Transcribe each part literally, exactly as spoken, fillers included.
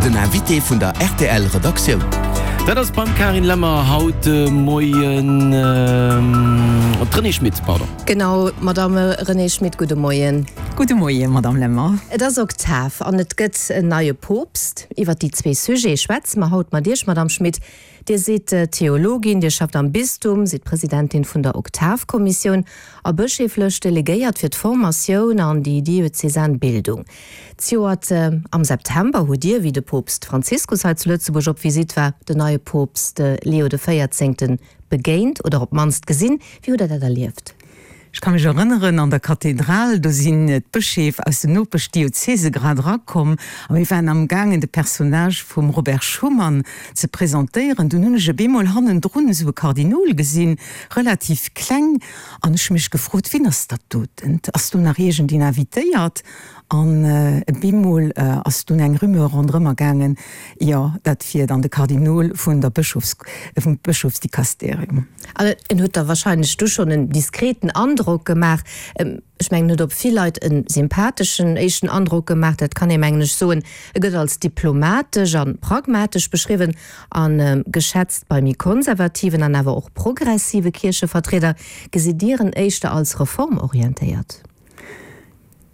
Den Invité vun der R T L Redaktioun. Dat ass beim Carine Lemmer haut de Moien d'Renée Schmit, pardon. Genau, Madame Renée Schmit, gudde Moien. Gudde Moien, Madame Lemmer. Et ass Oktav an et gëtt en neie Poopst. Iwwer déi zwee Sujete schwätze mer haut mat Iech, Madame Schmit. Dir sidd Theologin, Dir schafft am Bistum, sidd Presidentin vun der Oktavkommissioun a bëschéiflech Delegéiert fir d'Formatioun an déi diözesan Bildung. Zejoert am September hutt Dir, wéi de Poopst Franziskus hei zu Lëtzebuerg op Visitt war, den neie Poopst Leo de Véierzéngten begéint oder op d'mannst gesinn. Wéi hutt Der dat erlieft? Ech ka mech erënneren, an der Kathedral, do sinn d'Bëscheef aus den Nopeschdiözese grad erakomm a mir waren amgaangen, de Personnage vum Robert Schuman ze presentéieren. Dunn hunn ech op eemol hannendrun esou e Kardinol gesinn, relativ kleng, an ech hu mech gefrot, Wien ass dat doten? Ass do nach iergendeen invitéiert? An op eemol ass dunn eng Rumeur ronderëmmer gaangen, jo, dat wier dann de Kardinol vun der Bëschofs, vum Bëschofsdikasterium. An en huet da wahrscheinlech du schonn en diskreten Androck gemaach. Ech mengen, en huet op vill Leit e sympatheschen éischten Androck gemaach, dat kann ee mengen ech soen. E gëtt als diplomatesch a pragmatesch beschriwwen a geschätzt bei méi konservativen an awer och progressive Kierchevertrieder. Gesitt Dir en éischter als reformorientéiert?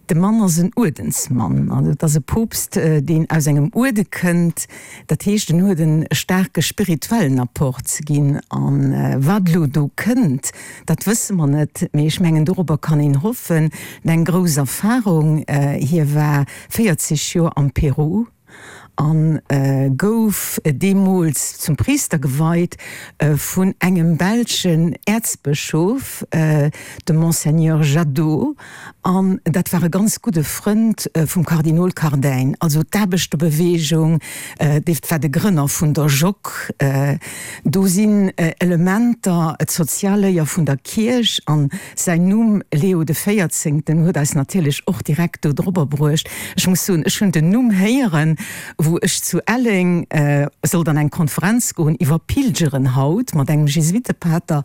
De Mann ass en Uerdensmann, also et ass e Poopst, deen aus engem Uerde kënnt. Dat heescht, en huet e staarke spirituellen Apport ze ginn. A wat elo do kënnt, dat wësse mer net, mee ech mengen, dorobber kann een hoffen. En eng grouss Erfarung, hie war véierzeg Joer am Peru a gouf deemools zum Priister geweit vun engem belschen Äerzbëschof, dem Monseigneur Jadot, an dat war e ganz gudde Frënd vum Kardinol Cardijn. Also d'Aarbechterbeweegung, dee war de Grënner vun der Joc. Do sinn Elementer, d'Sozialléier vun der Kierch an säin Numm Leo de Véierzéngten huet eis natierlech och direkt do drobber bruecht. Ech muss soen, ech hunn den Numm héieren, wou ech zu Elleng sollt an eng Konferenz goen iwwer Pilgeren haut mat engem Jesuitepater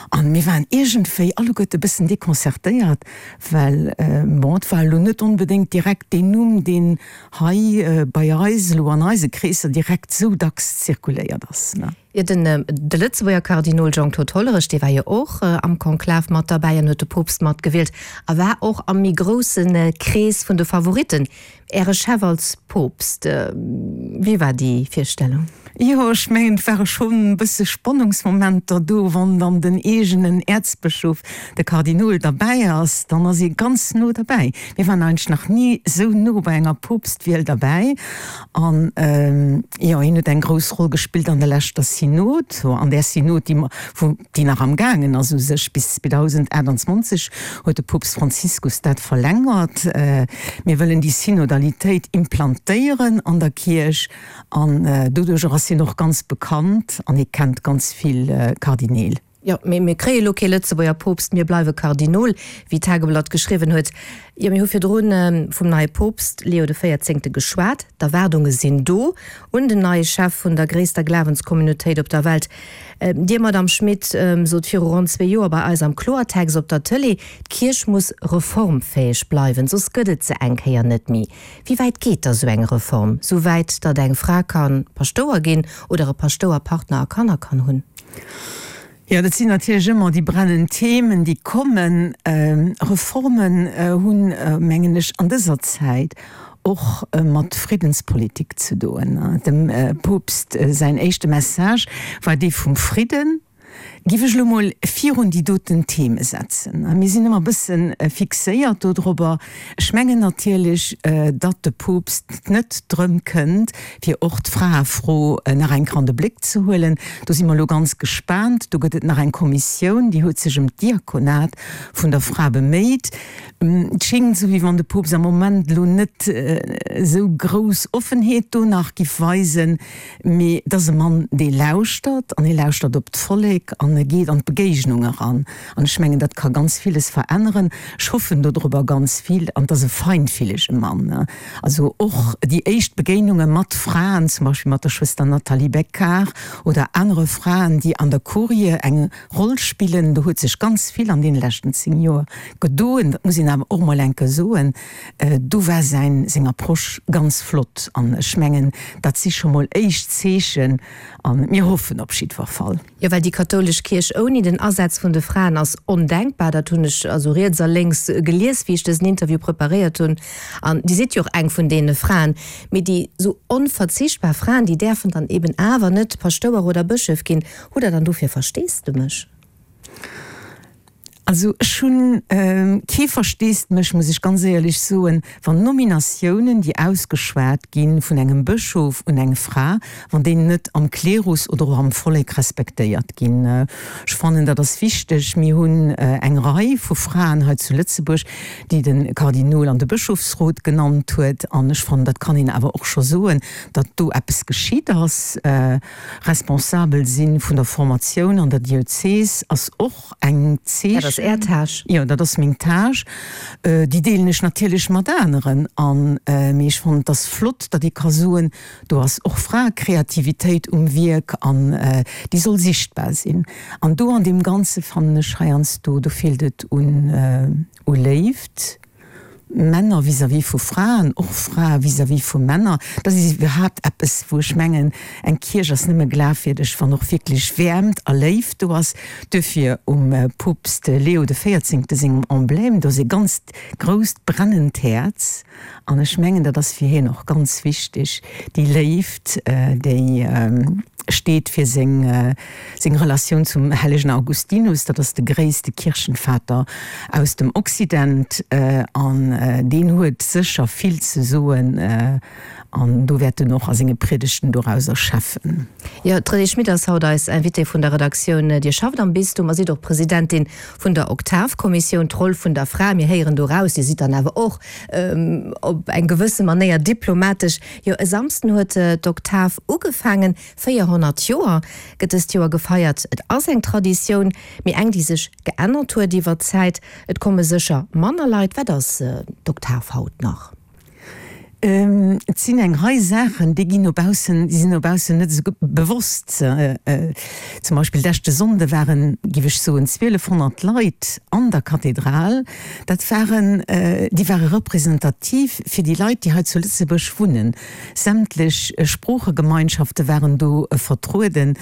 an mir waren iergendwéi alleguerte e bëssen deconcertéiert, well bon, et war elo net onbedéngt direkt deen Numm, deen hei bei eis elo an eise Kreesser direkt esou dacks zirkuléiert ass. Jo, den de Lëtzebuerger Kardinol Jean-Claude Hollerich, dee war jo och am Konklav mat derbäi an huet de Poopst matgewielt a war och am méi grousse Krees vun de Favoritten. Äre Chef als Poopst, wéi war déi Virstellung? Jo, ech mengen, et ware schonn e bësse Spannungsmomenter do. Wann dann den eegenen Äerzbëschof, de Kardinol, derbäi ass, dann ass ee ganz no derbäi. Mir waren eigentlech nach ni esou no bei enger Poopstwiel derbäi. An jo, hien huet eng grouss Roll gespillt an der leschter Synod, an där Synod, déi mer, wou, déi nach amgaangen ass u sech, bis zweedausendaachtanzwanzeg huet de Poopst Franziskus dat verlängert. Mir wëllen déi Synodalitéit implantéieren an der Kierch an doduercher ass hien och ganz bekannt an hie kennt ganz vill Kardineel. Jo, mee mir kréie lo kee Lëtzebuerger Poopst, mir bleiwe Kardinol, wéi d'Tageblatt geschriwwen huet. Jo, mir hu virdrun vum neie Poopst Leo de Véierzéngte geschwat. D'Erwaardunge sinn do un den neie Chef vun der gréisster Glawenscommunautéit op der Welt. Dir, Madamm Schmit, sot viru ronn zwee Joer bei eis am Kloertext op der Tëlee, d'Kierch muss reformfäeg bleiwen, soss gëtt et se eng Kéier net méi. Wéi wäit geet da sou eng Reform? Sou wäit, datt eng Fra ka Paschtouer ginn oder e Paschtouer Partner a Kanner kann hunn? Jo, dat sinn natierlech ëmmer déi brennend Themen, déi kommen. Reformen hunn, mengen ech, an dëser Zäit och mat Friddenspolitik ze doen. Dem Poopst säin éischte Message war dee vum Fridden. Giff ech elo mol virun déi doten Theme setzen. Mir sinn ëmmer e bësse fixéiert dodrobber. Ech mengen natierlech, datt de Poopst net drëm kënnt, fir och d'Fraefro nach eng Kéier an de Bléck ze huelen. Do si mer elo ganz gespaant. Do gëtt et nach eng Kommissioun, déi huet sech ëm d'Diakonat vun der Fra beméit. Et schéngt esou, wéi wann de Poopst am Moment elo net esou grouss Offenheet do nach giff weisen. Mee et ass e Mann, dee lauschtert, an hie lauschtert op d'Vollek. Vollek an e geet an d'Begéignung eran. An ech mengen, dat ka ganz villes veränneren. Ech hoffen dodrobber ganz vill. An et ass e feinfillege Mann. Also och déi éischt Begéinunge mat Fraen, zum Beispill mat der Schwëster Nathalie Becquart oder anere Fraen, déi an der Kurie eng Roll spillen, do huet sech ganz vill an deene leschten zéng Joer gedoen. Dat muss een awer och mol eng Kéier soen. Do war säin, seng Approche ganz flott. An ech mengen, dat si scho mol éischt Zeechen. A mir hoffen op jiddwer Fall. Jo, well déi kathoulesch Kierch ouni den Asaz vun de Fraen ass ondenkbar. Dat hunn ech also riets a lénks gelies, wéi ech dësen Interview preparéiert hunn. An Dir sidd jo och eng vun deene Fraen. Mee déi sou onverzichtbar Fraen, déi däerfen dann eben awer net Paschtouer oder Bëschef ginn. Hutt Der dann dofir Versteesdemech? Also ech hunn kee Versteesdemech, muss ech ganz éierlech soen, wann Nominatiounen, déi ausgeschwat gi vun engem Bëschof un eng Fra, wann déi net am Klerus oder och am Vollek respektéiert ginn. Ech fannen, dat ass wichteg. Mir hunn eng Rei vu Fraen hei zu Lëtzebuerg, déi de Kardinol an de Bëschofsrot genannt huet. An ech fannen, dat kann een awer och scho soen, datt do eppes geschitt ass. Responsabel si vun der Formatioun an der Diözes ass och eng Zeechen. Dat ass Är Tâche. Jo, dat ass meng Tâche. Déi deelen ech natierlech mat aneren. An, mee ech fannen, et ass flott, datt ee ka soen, do ass och Fraekreativitéit um Wierk an déi soll sichtbar sinn. An do an deem Ganze fannen ech heiansdo, do feelt et un u Léift. Männer vis-à-vis vu Fraen, och Frae vis-à-vis vu Männer, dat ass iwwerhaapt eppes, wou ech mengen, eng Kierch ass nëmme glafwierdeg, wann och wierklech Wäermt a Léift do ass. Duerfir um Poopst Leo de Véierzéngte sengem Emblème, do ass e ganzt grousst brennend Häerz. An ech mengen, dat ass fir hien och ganz wichteg, déi Léift, déi steet fir seng seng Relatioun zum hellegen Augustinus, dat ass de gréisste Kirchenvater aus dem Occident, an deen huet sécher vill ze soen, an do wäert en och a senge Priedegten dorauser schäffen. Jo, d'Renée Schmit ass haut eis Invitée vun der Redaktioun. Dir schafft am Bistum a sidd och Presidentin vun der Oktavkommissioun. D'Roll vun der Fra, mir héieren do raus, Dir sidd dann awer och op eng gewësse Manéier diplomatesch. Jo, e Samsden huet d'Oktav ugefaangen. véierhonnert Joer gëtt dëst Joer gefeiert. Et ass eng Traditioun, mee eng, déi sech geännert huet iwwer d'Zäit. Et komme sécher manner Leit. Wat ass d'Oktav haut nach? Et sinn eng Rei Saachen, déi ginn no baussen, déi sinn no baussen net esou bewosst. Zum Beispill leschte Sonnde waren, géif ech soen, zwielefhonnert Leit an der Kathedral. Dat waren, déi ware representativ fir déi Leit, déi hei zu Lëtzebuerg wunnen. Sämtlech Sproochegemeinschafte waren do vertrueden,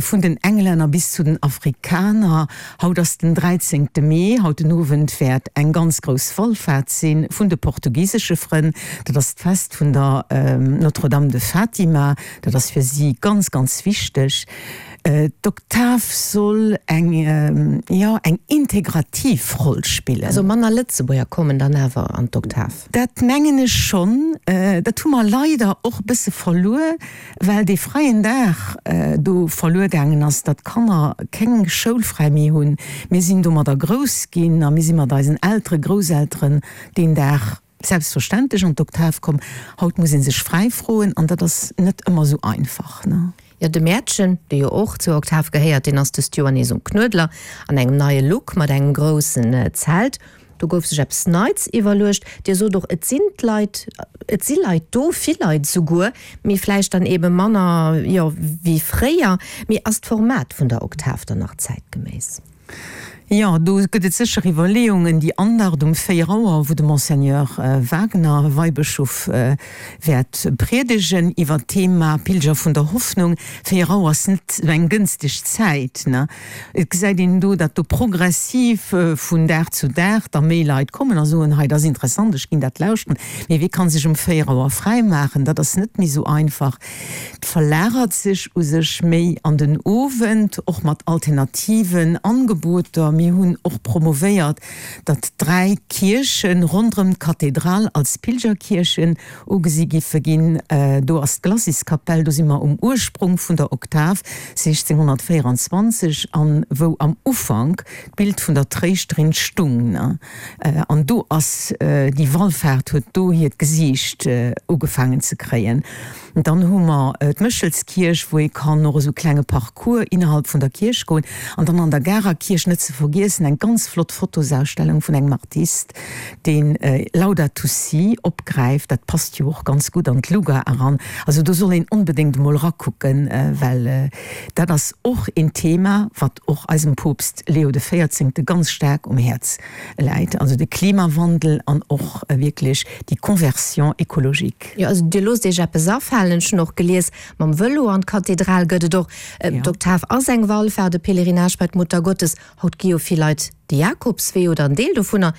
vun den Englänner bis zu den Afrikaner. Haut ass den dräizéngte Mee, haut den Owend wäert eng ganz grouss Wallfaart si vun de portugisesche Frënn. Dat ass d'Fest vun der Notre-Dame de Fatima. Dat ass fir si ganz, ganz wichteg. D'Oktav soll eng, jo, eng integrativ Roll spillen. Also manner Lëtzebuerger kommen dann awer an d'Oktav? Dat mengen ech schonn. Dat hu mer leider och e bësse verluer, well dee fräien Dag do verluer gaangen ass, datt d'Kanner keng Schoulfräi méi hunn. Mir sinn domadder grouss ginn a mir si mat eisen Elteren, Grousselteren deen Dag selbstverständlech an d'Oktav komm. Haut muss ee sech fräi froen an dat ass net ëmmer esou einfach. Jo, de Mäertchen, dee jo och zur Oktav gehéiert, deen ass dëst Joer nees um Knuedler an engem neie Look mat engem groussen Zelt. Do gouf sech eppes Neits iwwerluecht. Dir sot och, et sinn d'Leit, et si Leit do, vill Leit souguer, mee vläicht dann eebe manner, jo, wéi fréier. Mee ass d'Format vun der Oktav dann nach zäitgeméiss? Jo, do gëtt et sécher Iwwerleeungen. Déi Andacht um véier Auer, wou de Monseigneur Wagner, Weibëschof, wäert priedegen iwwer d'Thema Pilger vun der Hoffnung. Véier Auer ass net esou eng gënsteg Zäit, ne? Et gesäit een do, datt do progressiv vun Dag zu Dag da méi Leit kommen a soen, hei, dat ass interessant, ech ginn dat lauschteren. Mee wie kann sech um véier Auer fräi maachen? Dat ass net méi esou einfach. Et verlagert sech u sech méi an den Owend, och mat alternativen Angeboter. Mir hunn och promovéiert, datt dräi Kierche ronderëm d'Kathedral als Pilgerkierchen ugesi giffe ginn. Do ass d'Glaciskapell, do si mer um Ursprung vun der Oktav, siechzénghonnertvéieranzwanzeg, an wou am Ufank d'Bild vun der Tréischterin stung. An do ass déi Wallfaart huet do hiert Gesiicht ugefaangen ze kréien. Dann hu mer d'Méchelskierch, wou ee kann och esou klenge Parcours innerhalb vun der Kierch goen. An dann an der Garer Kierch net ze vergiessen eng ganz flott Fotosausstellung vun engem Artist, deen Laudato Si opgräift. Dat passt jo och ganz gutt an d'Luga eran. Also do soll een onbedéngt emol erakucken, well dat ass och een Thema, wat och eisem Poopst Leo de Véierzéngte ganz staark um Häerz läit, also de Klimawandel an och wierklech déi Conversion écologique. Jo, also Dir loosst Iech eppes afalen. Ech hunn och gelies, mam Vëlo an d'Kathedral gëtt et och. D'Oktav ass eng Wallfahrt, e Pèlerinage bei d'Muttergottes. Haut gi jo vill Leit de Jakobswee oder en Deel dovunner.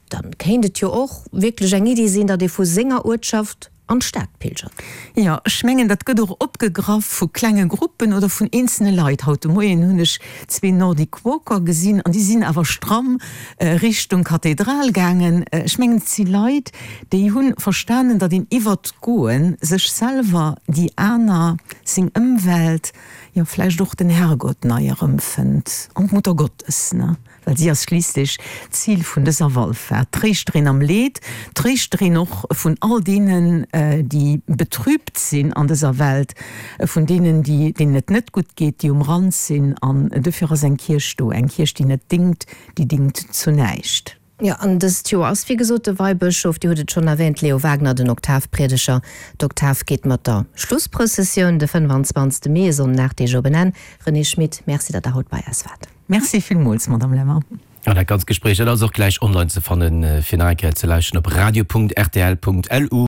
Dann kéint et jo och wierklech eng Iddi sinn, datt ee vu senger Uertschaft an d'Stad pilgert. Jo, ech mengen, dat gëtt och opgegraff vu klenge Gruppen oder vun eenzelne Leit. Haut de Moien hunn ech zwee Nordic Walker gesinn an déi sinn awer stramm Richtung Kathedral gaangen. Ech mengen, et si Leit, déi hu verstanen, datt een iwwert d'Goe sech selwer, déi aner, seng Ëmwelt, jo vläicht och den Herrgott nei erëmfënnt an d'Muttergottes, ne? Well si ass schliisslech d'Zil vun dëser Wallfaart, d'Tréischterin am Leed, d'Tréischterin och vun all deenen, déi betrübt sinn an dëser Welt, vun deenen, déi, deenen et net gutt geet, déi um Rand sinn. An dofir ass eng Kierch do, eng Kierch, déi net dingt, déi dingt zu näischt. Jo, an dëst Joer ass, wéi gesot, de Weibëschof, Dir hutt et schonn erwähnt, Leo Wagner, den Oktavpriedeger. D'Oktav geet mat der Schlussprëssessioun de fënnwanzwanzegste Mee, e Sonnden, aacht Deeg op en Enn. Renée Schmit, Merci, datt Der haut bei eis waart. Merci villmools, Madame Lemmer. An dat ganzt Gespréich, dat ass och gläich online ze fannen, fir nach eng Kéier ze lauschten op radio punkt rtl punkt lu.